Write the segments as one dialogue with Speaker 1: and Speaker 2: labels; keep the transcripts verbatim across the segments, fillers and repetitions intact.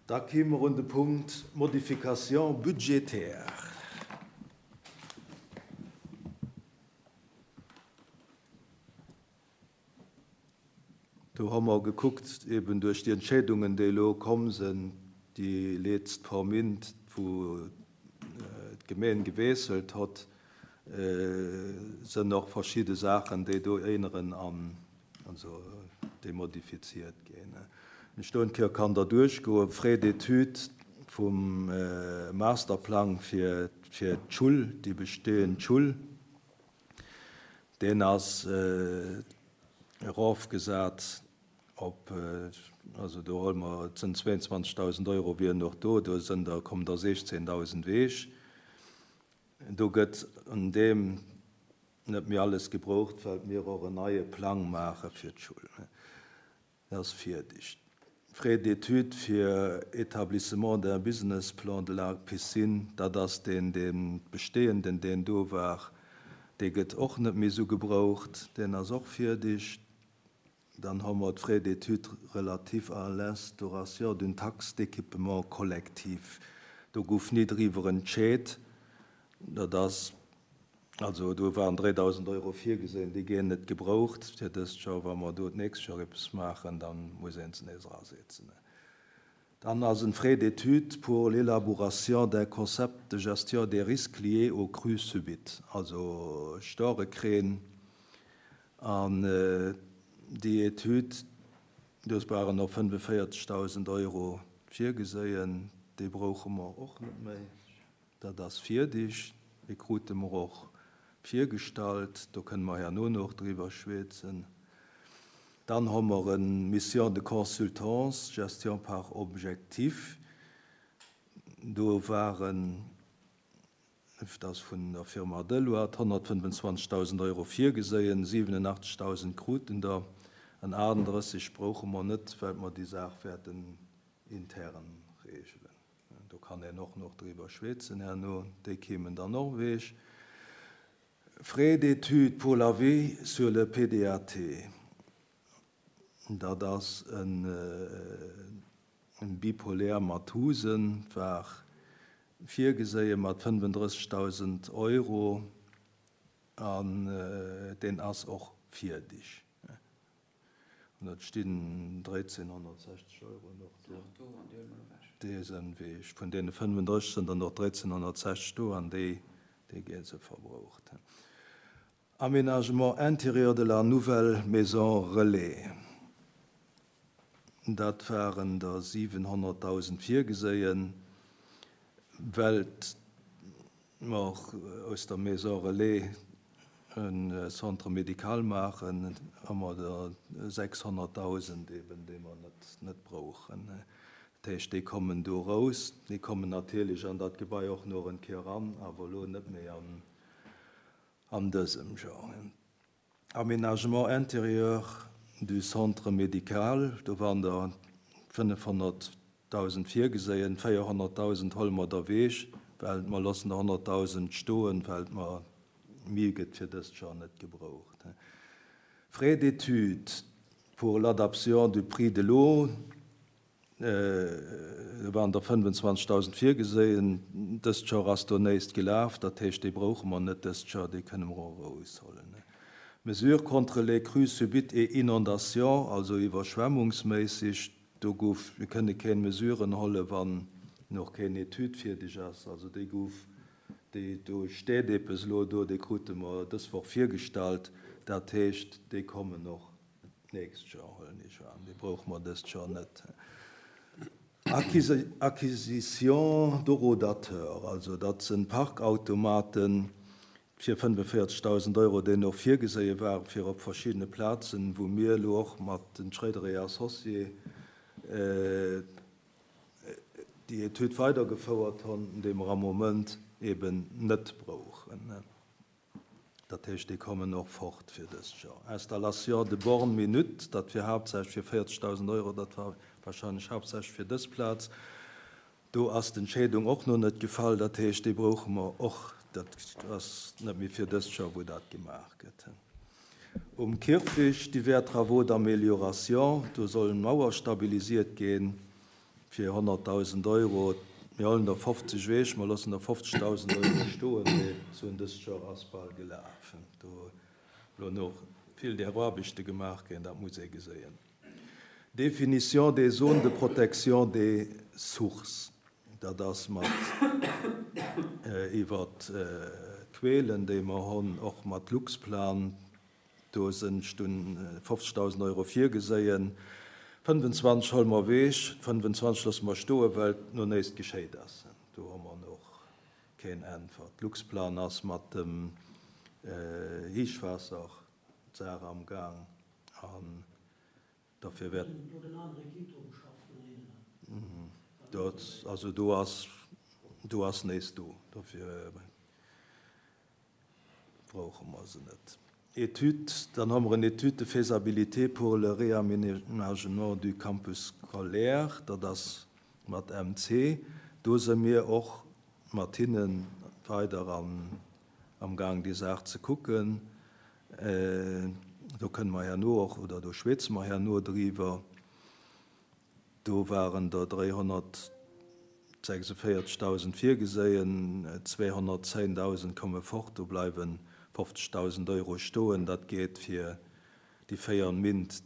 Speaker 1: Da kime mer un de Punkt Modifications budgétaires. Do hu mer gekuckt, eben duerch déi Entscheedungen, déi elo komm sinn, déi letzt paar Mint, wou d'Gemeen gewiesselt huet, sinn och verschidde Saachen, déi do änneren an also déi modifiziert ginn. Ech do eng Kéier kann der duerchgoen, Frais d'études vum Masterplang fir fir d'Schull, déi bestehend Schull, deen ass erofgesat op, also do huele mer, et sinn zweiundzwanzegdausend Euro wieren och do, do sinn der, kommen der sechzehndausend ewech. Do gëtt un deem net méi alles gebraucht, well mir och en neie Plang maache fir d'Schull. Dat ass fierdeg. Frais d'études fir Établissement d'un business plan de la piscine, dat ass deen, dee bestehenden, deen do war, dee gëtt och net méi esou gebraucht, deen ass och fierdeg. Dann hu mer d'Frais d'études relatifs à l'instauration d'une taxe d'équipement collectif. Do gouf ni driwwer entscheet, dat ass, also do waren dräidausend Euro virgesinn, déi ginn net gebraucht fir dëst Joer. Wa mer do d'nächst Joer eppes maachen, dann muss een se nees erasetzen. Dann ass en Frais d'études pour l'élaboration d'un concept de gestion des risques liés aux crues subites, also Storekräen. An déi Etüd, do waren och fënnefvéierzegdausend Euro virgeséien, déi brauche mer och net méi. Dat ass fierdeg, déi krute mer och virgestallt, do kënne mer herno nach driwwer schwätzen. Dann hu mer eng Mission de consultance, gestion par objectif. Do waren, dat ass vun der Firma Deloitte, honnertfënnefenzwanzegdausend Euro virgeséien, siwenenachtzegdausend kruten der, an achtendrësseg brauche mer net, well mer déi Saach wäerten intern regelen. Do kann een och nach driwwer schwätzen herno, déi kéimen dann och ewech. Frais d'études pour l'avis sur le P D A T. Dat ass en bipolaire mat Husen, war virgeséie mat fënnefendrëssegdausend Euro an deen ass och fierdeg. An et stinn dräizehnhonnertsechzeg Euro nach do. Déi sinn ewech. Vun deene fënnefendrësseg sinn der nach dräizehnhonnertsechzeg do an déi déi gi se verbraucht. Aménagement intérieur de la nouvelle maison relais. Dat waren der siwenhonnertdausend virgeséien, well mer aus der Maison relais e Centre médical maachen, hu mer der sechshonnertdausend eben, déi mer net net brauchen. Dat heescht, déi kommen do raus. Déi kommen natierlech an dat Gebai och nach eng Kéier eran, awer elo net méi an an dësem Joer. Aménagement intérieur du centre médical, do waren der fënnefhonnertdausend virgeséien, véierhonnertdausend huele mer der ewech, well mer loossen der honnertdausend stoen, well mer méi gëtt fir dëst Joer net gebraucht. Frais d'études pour l'adaptation du prix de l'eau, do waren der fënnefenzwanzegdausend virgeséien, dëst Joer ass do näischt gelaf, dat heescht, déi brauche mer net dëst Joer, déi kënne mer och eraushuelen. Mesures contre les crues subites et inondations, also iwwerschwemmungsméisseg, do gouf, mir kënne keng Mesuren huelen, wann nach keng Etüd fierdeg ass, also déi gouf, déi do steet eppes elo do, déi krute mer dës Woch virgestallt, dat heescht, déi kommen och d'nächst Joer, huelen ech an, déi brauche mer dëst Joer net. Acquisition d'horodateurs, also dat sinn Parkautomaten fir fënnefenvéierzegdausend Euro, déi nach virgeséie ware fir op verschiddene Plazen, wou mir elo och mat den Schréider et Associés déi Etüd weidergefouert hunn, déi mer am Moment eben net brauchen. Dat heescht, déi kommen och fort fir dëst Joer. Installation de bornes minute, dat wier haaptsächlech fir véierzegdausend Euro, dat war warscheinlech haaptsächlech fir dës Plaz. Do ass d'Entscheedung och nach net gefall, dat heescht, déi brauche mer och, dat ass net méi fir dëst Joer, wou dat gemaach gëtt. Um Kierfecht divers travaux d'amélioration, do sollen Mauer stabilisiert ginn, fir honnertdausend Euro. Mir huelen der fofzeg ewech, mer loossen der fofzegdausend Euro stoen, mee soen, dëst Joer ass bal gelaf. Do elo nach vill där Aarbechte gemaach ginn, dat muss ee geséien. Définition des zones de protection des sources, dat ass mat iwwer d'Quelen, déi mer hunn, och mat Luxplan, do sinn stun fofzegdausend Euro virgeséien. fënnfenzwanzeg huele mer ewech, fënnfenzwanzeg loosse mer stoen, well no näischt geschéit ass. Do hu mer nach keen Äntwert. Luxplan ass mat dem Héichwaasser d'Saach am Gaang an dofir wäert. Dat, also do ass, do ass näischt do, dofir brauche mer se net. Étude, dann hu mer en Étude de faisabilité pour le réaménagement du campus scolaire, dat ass mat M C. Do si mir och mat hinne weider am, am Gang déi Saach ze kucken. Do kënne mer herno och, oder do schwätze mer herno driwwer. Do waren der dräihonnertsechsundvéierzegdausend virgeséien, zweehonnertzéndausend komme fort, do bleiwe fofzegdausend Euro stoen. Dat geet fir déi véier Méint,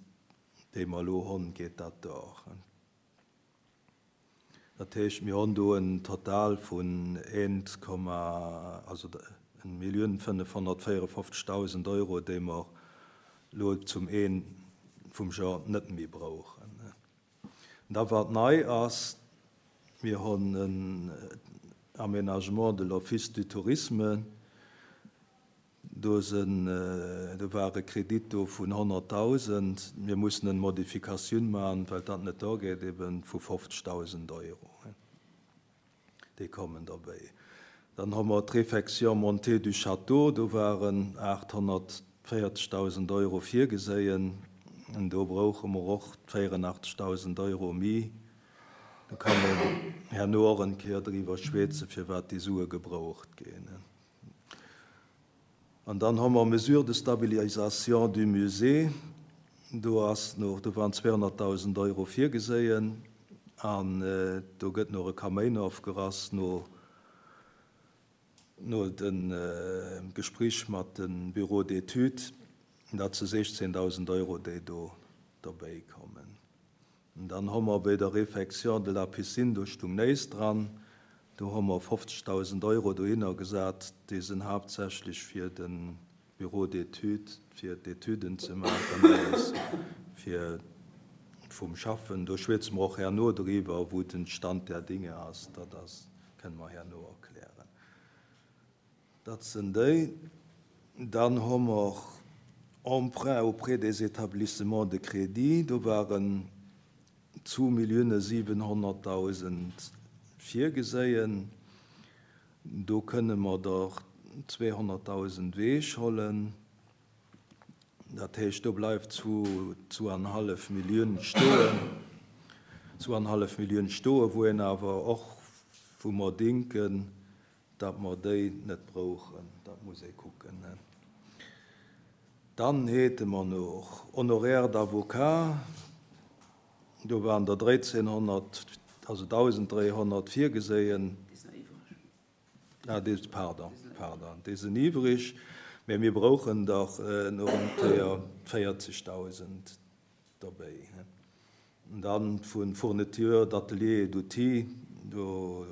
Speaker 1: déi mer elo hunn, geet dat duer. Dat heescht, mir hunn do en Total vun eent, also eng Millioun fënnefhonnertvéierefofzegdausend Euro, déi mer elo zum Enn vum Joer net méi brauchen. Da wat nei ass, mir hunn en Aménagement de l'Office du Tourisme. Do sinn, do war e Kredit do vun honnertdausend. Mir mussen eng Modifikatioun maachen, well dat net duergeet, eben vu fofzegdausend Euro. Déi kommen derbäi. Dann hu mer d'Réfection montée du Château, do waren aathonnertvéierzegdausend Euro virgeséien. Do brauche mer och véierundachtzegdausend Euro méi. Do kann een herno och eng Kéier driwwer schwätzen, fir wat déi Sue gebraucht ginn. An dann hu mer Mesures de stabilisation du musée. Do ass nach, do waren zweehonnertdausend Euro virgeséien an do gëtt nach e Kaméin ofgerass no no de Gespréich mat dem Bureau d'études, dat si sechzéndausend Euro, déi do derbäi kommen. An dann hu mer bei der Réfection de la piscine, do stung näischt dran, do hu mer fofzegdausend Euro dohinner gesat, déi sinn haaptsächlech fir de Bureau d'études, fir d'Etüden ze maachen, alles fir vum Schaffen. Do schwätze mer och herno driwwer, wou den Stand der Dinge ass, dat ass, kënne mer herno erklären. Dat sinn déi. Dann hu mer Emprunt auprès des établissements de crédit, do waren zwou Millioune siwenhonnertdausend virgeséien. Do kënne mer der zweehonnertdausend ewechhuelen. Dat heescht, do bleift zwou, zwouanenhallef Millioun stoen, zwouanenhallef Millioun stoen, wou een awer och, wou mer denken, datt mer déi net brauchen. Dat muss ee kucken. Dann hate mer nach Honoraires d'avocat, do waren der dräizénhonnert, also dausend dräihonnert virgeséien. Ah, déi, pardon, pardon, déi sinn iwwreg, mä mir brauchen dach nach eng Kéier véierzegdausend derbäi. Dann vu Fourniture d'atelier et d'outils, do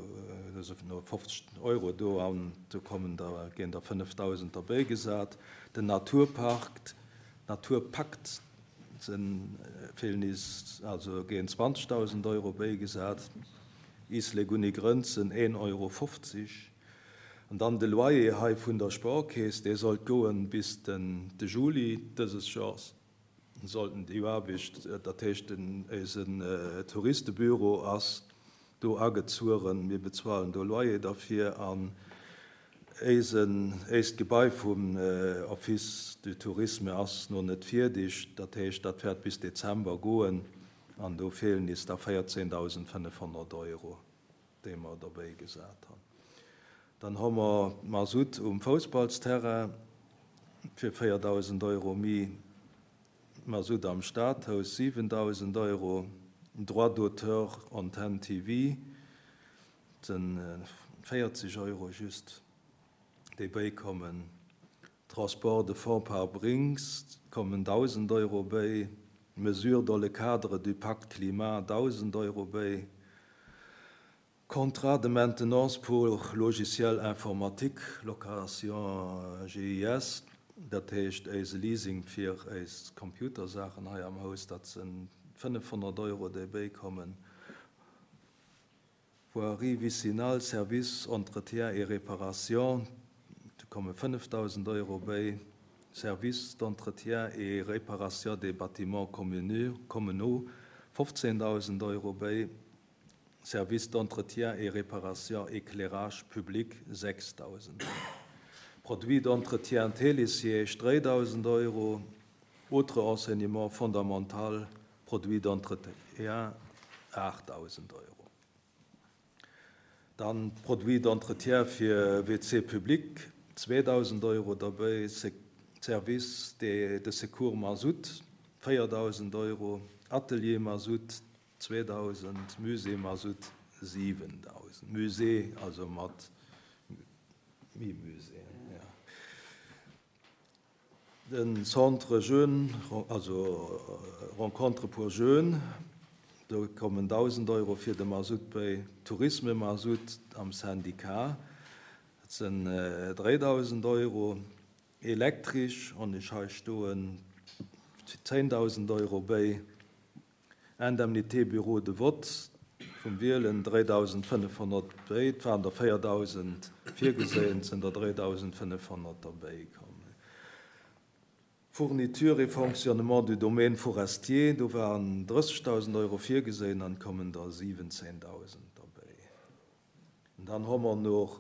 Speaker 1: sinn nach fofzeg Euro do an do kommen der, ginn der fënnefdausend derbäi gesat. Den Naturpark, Naturpakt sinn feelen is, also ginn zwanzegdausend Euro bäigesat. Islek ouni Grënzen een Euro fofzeg. An dann de Loyer hei vun der Sparkeess, dee sollt goen bis den de Juli dëses Joers. Sollten déi Aarbecht, dat heescht den eisen Touristebüro ass do agezueren, mir bezuelen do Loyer derfir an eisen éischt Gebai vum Office du Tourisme ass no net fierdeg, dat heescht, dat wäert bis Dezember goen an do feelen is da véierzéndausendfënnefhonnert Euro, déi mer derbäi gesat hunn. Dann hu mer Masutt um Foussballsterrain fir véierdausend Euro méi, Masutt am Stadhaus siwendausend Euro, Droit d'auteur Antenn TV, dat sinn véierzeg Euro just, déi bäikommen. Transport de fonds par Brinks kommen dausend Euro bäi. Mesures dans le cadre du Pacte climat dausend Euro bäi. Contrat de maintenance pour logiciel informatique, location G I S, dat heescht eise Leasing fir eis Computersaachen hei am Haus, dat si fënnefhonnert Euro, déi bäikommen. Voirie vicinale, service, entretien et réparation, do komme fënnefdausend Euro bäi. Service d'entretien et réparation des bâtiments communaux, fofzéndausend Euro bäi. Service d'entretien et réparation éclairage public, sechsdausend Euro. Produits d'entretien Télésiège, dräidausend Euro. Autre enseignement fondamental, produits d'entretien, aachtdausend Euro. Dann Produits d'entretien fir W C public, zweedausend Euro derbäi. Service de, de secours Mazout, véierdausend Euro. Atelier Mazout, zweedausend. Musée Mazout, siwendausend. Musée, also mat Mi-Musée. Ja. Den Centre Jeune, also Rencontre pour Jeunes, do kommen dausend Euro fir de Mazout bäi. Tourisme Mazout am Syndikat, dat sinn dräidausend Euro. Elektresch, an ech hei stoen, zéngdausend Euro bäi. Indemnité Bureau de vote vum Wielen dräidausendfënnefhonnert bäi, et waren der véierdausend virgesinn, sinn der dräidausendfënnefhonnert derbäi komm. Fourniture et fonctionnement du domaine forestier, do waren drëssegdausend Euro virgesinn, dann kommen der siwwenzéngdausend derbäi. An dann hu mer nach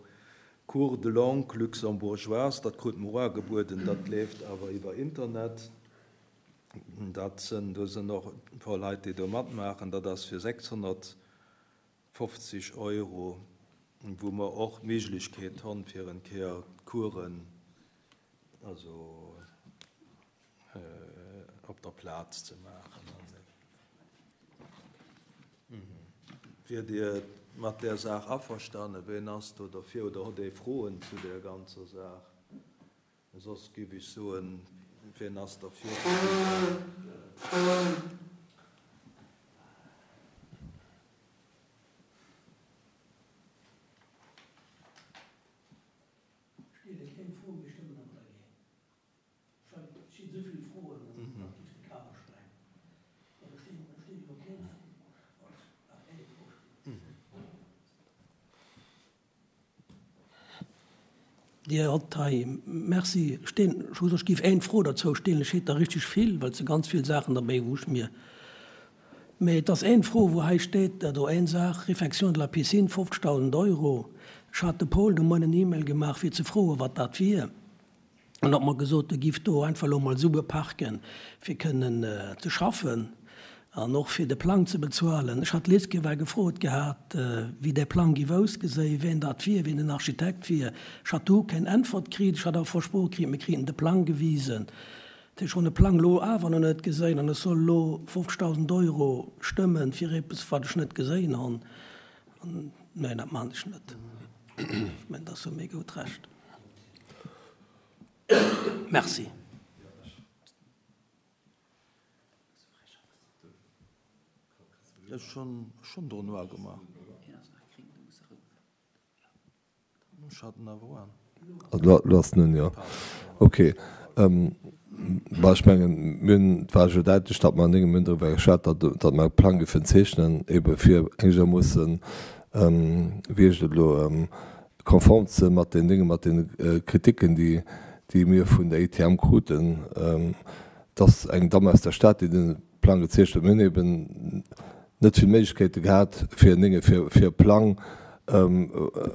Speaker 1: Cours de langue luxembourgeoise, dat krut mer ugebueden, dat leeft awer iwwer Internet. Dat sinn, do sinn och e puer Leit, déi do matmaachen, dat ass fir sechshonnertfofzeg Euro, wou mer och d'Méiglechkeet hunn, fir eng Kéier Coursen also op der Plaz ze maachen. Wier Dir mat där Saach averstanen? Ween ass do derfir oder hutt ee Froen zu där ganzer Saach? Soss géif ech soen, wien ass derfir?
Speaker 2: Stelle keng Fro, mir stëmmen awer dergéint. Et stinn esou vill Froen, dat géif de Kader sprengen. Also stinn, stinn elo keng Fro, nach eng Fro steet. Dir hutt hei, merci, stinn, ech géif eng Fro dozou stellen, ech hätt der richteg vill, well se ganz vill Saachen derbäi, wou ech mir, mee et ass eng Fro, wou hei steet, do eng Saach, Réfection de la piscine, fofzegdausend Euro. Ech hat de Paul de Moien en E-Mail gemaach, fir ze froen, wat dat wier. An huet mer gesot, e giff do einfach elo mol Sue parken, fir kënnen ze schaffen an och fir de Plang ze bezuelen. Ech hat d'lescht Kéier well gefrot gehat, wéi dee Plang giff ausgeséien, wien dat wier, wien den Architekt wier. Ech hat du keng Äntwert kritt. Ech hat awer versproch kritt, mir kriten de Plang gewisen. Ech hunn de Plang elo awer nach net geséien an ech soll elo fofzegdausend Euro stëmmen fir eppes, wat ech net geséien hunn. Neen, dat maan ech net. Ech mengen, dat ass jo méi goud Recht. Merci.
Speaker 1: Ech hunn do noir gemaach. Ech hat en awer an.
Speaker 3: Elo ass en un, jo. Ok. Bah, ech mengen, mir hunn, et war jo däitlech, datt mer an engem, mir hunn driwwer geschwat, datt, datt mer e Plang géifen zeechnen, ebe fir engermoossen, wéi heescht et elo, konform ze mat den Dingen, mat den Kritiken, déi, déi mir vun der I T M kruten, dass eng Damm aus der Stad, déi den Plang gezeechent huet, mir hunn eben net vill Méiglechkeete gehat, fir en Dinge, fir, fir e Plang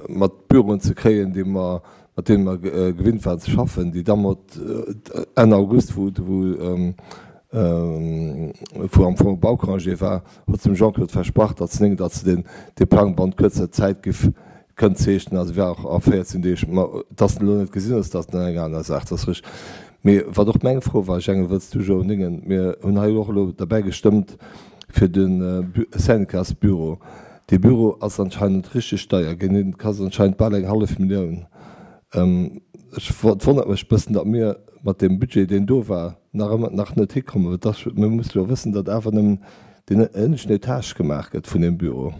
Speaker 3: mat Büroen ze kréien, déi mer, mat deene mer gewinnt waren ze schaffen. Déi Damm huet Enn August, wou, wou, wou am Fong Baucongé war, huet se dem Jean-Claude versprach, datt se, datt se den, dee Plang bannent kuerzer Zäit giff kënnt zeechnen, also war och a véierzéng Deeg. Ma datt en elo net gesinn ass, dat ass dann eng aner Saach, dat ass richteg. Mee wat och meng Fro war, ech engen, wëlls du, Joe, Ningen, mir hunn hei och elo derbäi gestëmmt, fir de Syndicatsbüro. Dee Büro ass anscheinend richteg deier ginn, dee kascht anscheinend bal eng hallef Millioun. Ech, et wonnert mech e bëssen, datt mir mat deem Budget, deen do war, nach ëmmer nach net hikommen. Well dass, mir musse jo wëssen, datt awer nëmmen deen ënneschten Etage gemaach gëtt vun deem Büro.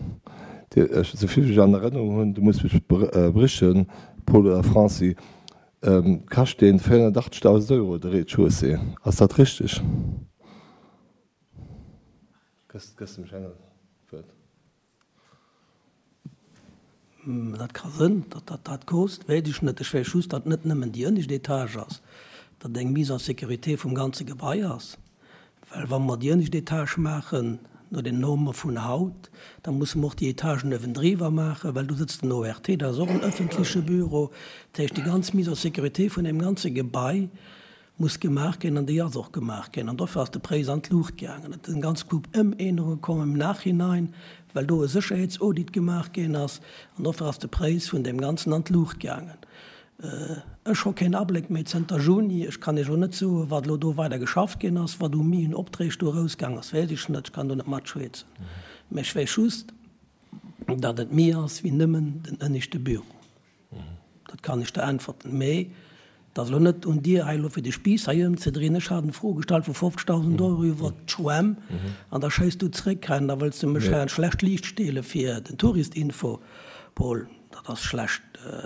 Speaker 3: Dee, ech, esou vill wéi ech an Erënnerung hunn, du muss mech berichten, Paul oder Franci, kascht deen véierhonnertachtzegdausend Euro, de Rez-de-chaussée. Ass dat richteg? Gëss, gëss dem Schengen d'Wuert.
Speaker 2: Dat ka sënn, datt dat dat kost, weess ech net. Ech weess just, datt net nëmmen déi ënnescht Etage ass, datt eng Mise en sécurité vum ganze Gebai ass. Well wa mer déi ënnescht Etage maachen, no den Norme vun haut, da musse mer och déi Etagen uewendriwwer maachen, well do sëtzt den O R T, dat ass och en ëffentleche Büro. Dat heescht, déi ganz Mise en sécurité vun deem ganze Gebai muss gemaach ginn an déi ass och gemaach ginn. An dofir ass de Präis an d'Luucht gaangen. Et sinn ganz Koup Ëmännerunge komm im Nachhinein, well do e Sécherheetsaudit gemaach ginn ass. An dofir ass de Präis vun deem Ganzen an d'Luucht gaangen. Ech hu keen Abléck méi zënter Juni. Ech kann Iech och net soen, wat elo do weider geschafft ginn ass, wat u méi un Opträg do erausgaang ass, weess ech net. Ech kann do net matschwätzen. Mä ech weess just, datt et méi ass wéi nëmmen den ënneschte Büro. Dat kann ech der äntwerten. Mee dat ass elo net un dir hei elo fir de Spiiss hei ëmzedrehen. Ech hat eng Fro gestallt vu fofzegdausend Euro iwwert d'Schwämm an da schéiss du zréck hei an da wëlls du mech hei an schlecht Liicht stelle fir den Touristinfo. Paul, dat ass schlecht,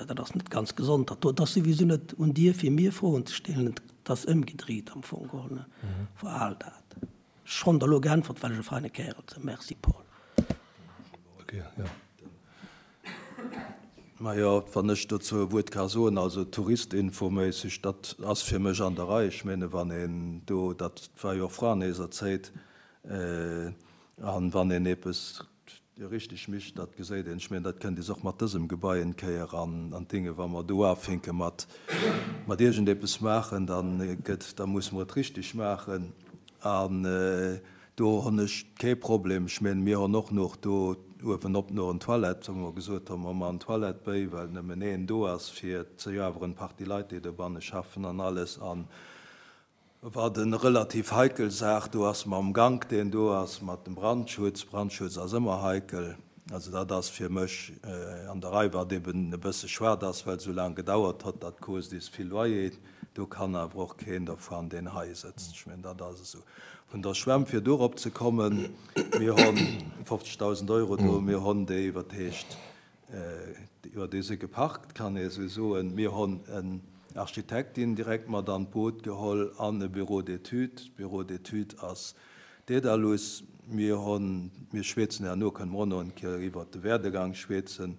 Speaker 2: dat ass net ganz gesond. Dat do, dat ass souwisou net un dir fir mir Froen ze stellen. Dat ass ëmgedréit am Fong geholl, verhal dat. Ech hunn der elo geäntwert, well ech e feine Kärel sinn. Merci, Paul.
Speaker 1: Okay, ja. Majo, wann ech dozou e Wuert ka soen, also touristinfoméisseg, dat ass fir mech an der Rei. Ech menge wann een do, dat war jo och vrun eiser Zäit, an wann een eppes richteg mécht, dat geséit een. Ech mengen, dat kënnt is och mat dësem Gebai eng Kéier an an d'Dinge, wa mer do ufänke mat mat iergendepes maachen, dann gëtt, da muss mer et richteg maachen. An do hunn ech kee Problem. Ech mengen, mir hunn och nach do uewen op no en Toilette, wou mer gesot hunn, mer maachen Toilette béi, well nëmmen een do ass fir ze jo awer en Partie Leit, déi dobanne schaffen an alles. An wat en relativ heikel Saach do ass mam Gank, deen do ass mat dem Brandschutz. Brandschutz ass ëmmer heikel. Also dat ass fir mech an der Rei, wat eben e bësse schued ass, well sou laang gedauert huet, dat kost is vill Loyer. Do kann awer och keen dervun, deen hei sëtzt. Ech mengen, dat ass esou. Vun der Schwämm, fir dorop ze kommen, mir hunn fofzegdausend Euro do, mir hunn déi iwwer heescht, iwwer déi se geparkt, kann ee sou soen. Mir hunn en Architektin direkt mat an d'Boot geholl an e Bureau d'études. Bureau d'études ass Dedalus. Mir hunn, mir schwätzen herno, kënne mer och nach eng Kéier iwwert de Werdegang schwätzen.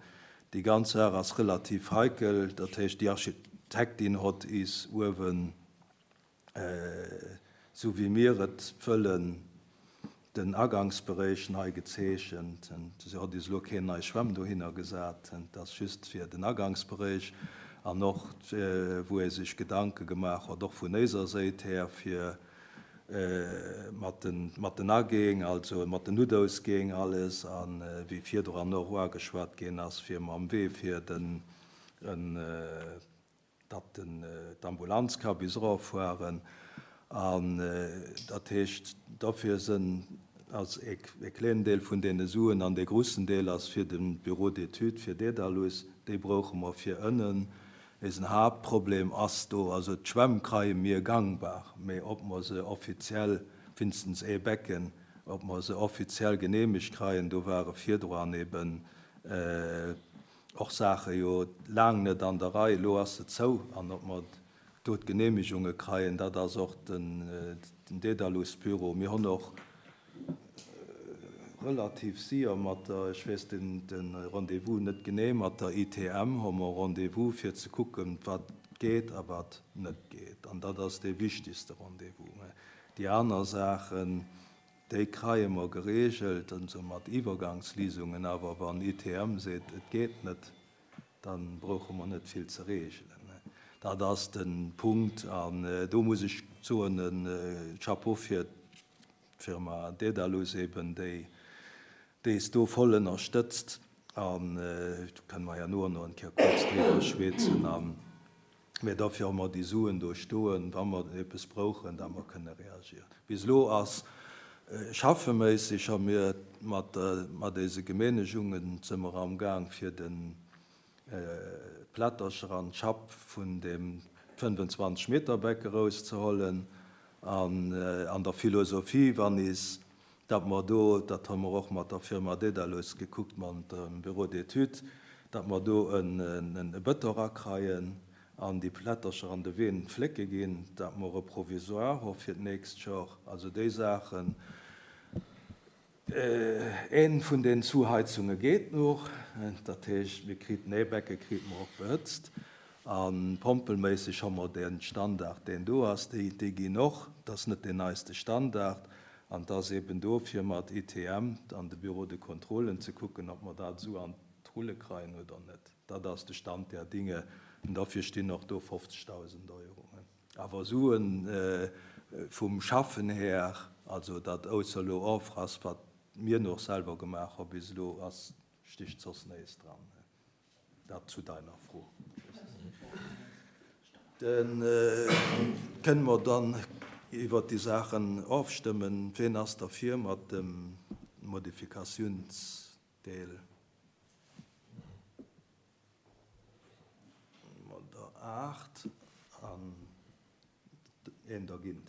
Speaker 1: Déi ganz Saach ass relativ heikel, dat heescht, déi Architektin hott is uewen, sou wéi mir et wëllen, den Agangsberéich nei gezeechent. Se hott is elo keen nei Schwämm dohinner gesat, dat ass just fir den Agangsberéich an och wou ee sech Gedanke gemaach huet, och vun eiser Säit her, fir mat den mat den Agäng, also mat den Noutausgäng alles, an wéi virdrun och uageschwat ginn ass, fir mam Wee fir den datt den d'Ambulanz ka bis eroffueren. An dat heescht, dofir sinn ass e e kléinen Deel vun deene Suen an dee groussen Deel ass fir de Bureau d'études, fir Dedalus, déi brauche mer fir ënnen. Eisen Haaptproblem ass do, also d'Schwämm kreie mir gangbar, mee ob mer se offiziell, wéinstens ee Becken, ob mer se offiziell geneemegt kreien, do ware virdrun eben och Saache jo laang net an der Rei. Elo ass se zou an ob mer do d'Geneemegunge kreien, dat ass och den den Dedalus-Büro. Mir hunn och relativ séier mat der, ech weess den de Rendez-vous net genee, mat der I T M hu mer Rendez-vous fir ze kucken, wat geet a wat net geet. An dat ass dee wichtigste Rendez-vous. Déi aner Saachen, déi kreie mer geregelt, also mat Iwwergangsléisungen, awer wann I T M seet, et geet net, dann brauche mer net vill ze regelen. Dat ass de Punkt an do muss ech soen, e Chapeau fir d'Firma Dedalus eben, déi déi is do voll ënnerstëtzt an do kënne mer herno nach eng Kéier kuerz driwwer schwätzen. An mee dofir hu mer déi Suen do stoen, wa mer eppes brauchen, da mer kënne reagieren. Bis elo ass Schaffeméisseg hu mir mat mat eise Gemeenegungen si mer am Gaang fir den Plättercher an d'Schapp vun dem fënnfenzwanzeg Meter Beck erauszehollen an an der Philosophie wann is datt mer do, dat hu mer och mat der Firma Dedalus gekuckt, mat dem Bureau d'études, datt mer do e Bëton rakreien an déi Plättercher an de Ween flécke ginn, datt mer e Provisoire hu fir d'nächst Jor. Also déi Saachen. Een vun den Zuheizunge geet noch, dat heescht, mir kriten ee Becke krite mer och behëtzt. A pompelméisseg hu mer dee Standard, deen do ass, déi, déi ginn och, dat ass net deen neiste Standard. An et ass eben do fir mat I T M an de Bureau de contrôlen ze kucken, ob mer dat esou an d'Rulle kreien oder net. Dat ass de Stand der Dinge an dofir stinn och do fofzegdausend Euro. Awer Suen vum Schaffen här, also dat ausser elo Offrass, wat mir nach selwer gemaach hu bis elo, ass sticht soss näischt dran. Dat zu deiner Fro. Dann kënne mer dann iwwert déi Saachen ofstëmmen. Ween ass derfir mat dem Modifikatiounsdeel? Mat der aacht an een dergint.